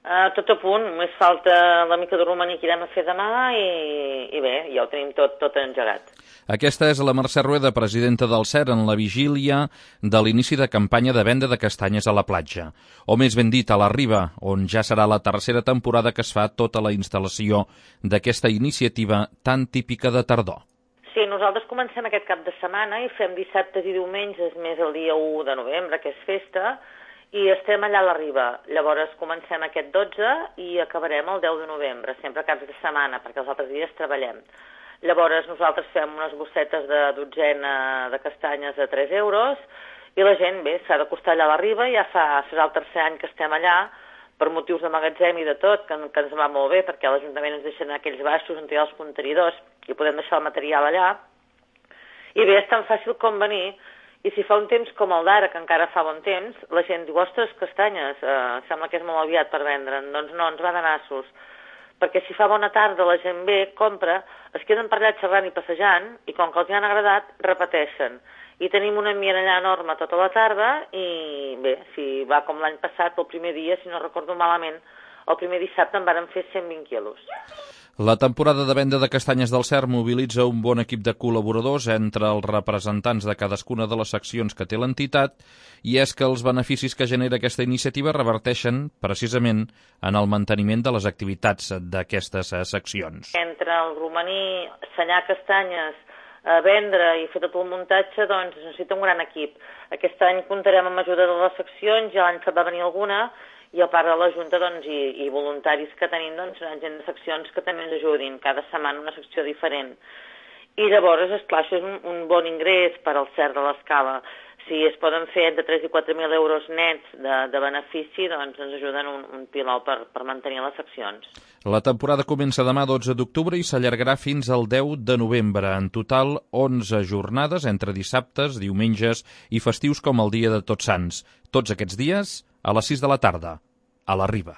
Tot a punt, només falta la mica de romaní que irem a fer demà i bé, ja ho tenim tot engegat. Aquesta és la Mercè Rueda, presidenta del CER, en la vigília de l'inici de campanya de venda de castanyes a la platja, o més ben dit, a la Riba, on ja serà la tercera temporada que es fa tota la instal·lació d'aquesta iniciativa tan típica de tardor. Sí, nosaltres comencem aquest cap de setmana i fem dissabtes i diumenges, més el dia 1 de novembre, que és festa, i estem allà a la Riba. Llavors comencem aquest 12 i acabarem el 10 de novembre, sempre caps de setmana, perquè els altres dies treballem. Llavors nosaltres fem unes bossetes de dotzena de castanyes a 3 euros i la gent, bé, s'ha d'acostar allà a la Riba, ja serà el tercer any que estem allà, per motius de magatzem i de tot, que ens va molt bé, perquè l'Ajuntament ens deixa aquells baixos on hi ha els contenidors i podem deixar el material allà. I bé, és tan fàcil com venir. I si fa un temps com el d'ara, que encara fa bon temps, la gent diu, ostres, castanyes, sembla que és molt aviat per vendre'n. Doncs no, ens va de nassos. Perquè si fa bona tarda la gent ve, compra, es queden per allà xerrant i passejant, i com que els han agradat, repeteixen. I tenim un ambient allà enorme tota la tarda, i bé, si va com l'any passat, el primer dia, si no recordo malament, el primer dissabte en varen fer 120 quilos. La temporada de venda de castanyes del CER mobilitza un bon equip de col·laboradors entre els representants de cadascuna de les seccions que té l'entitat, i és que els beneficis que genera aquesta iniciativa reverteixen precisament en el manteniment de les activitats d'aquestes seccions. Entre el romaní, senyar castanyes, vendre i fer tot el muntatge, doncs es necessita un gran equip. Aquest any comptarem amb ajuda de les seccions, ja l'any va venir alguna, i a part de la Junta i voluntaris que tenim, gent de seccions que també ens ajudin, cada setmana una secció diferent. I llavors, esclar, això és un bon ingrés per al CER de l'Escala. Si es poden fer entre 3 i 4.000 euros nets de benefici, doncs ens ajuden un pilau per mantenir les seccions. La temporada comença demà 12 d'octubre i s'allargarà fins al 10 de novembre. En total, 11 jornades entre dissabtes, diumenges i festius com el dia de Tots Sants. Tots aquests dies a les 6 de la tarda, a la Riba.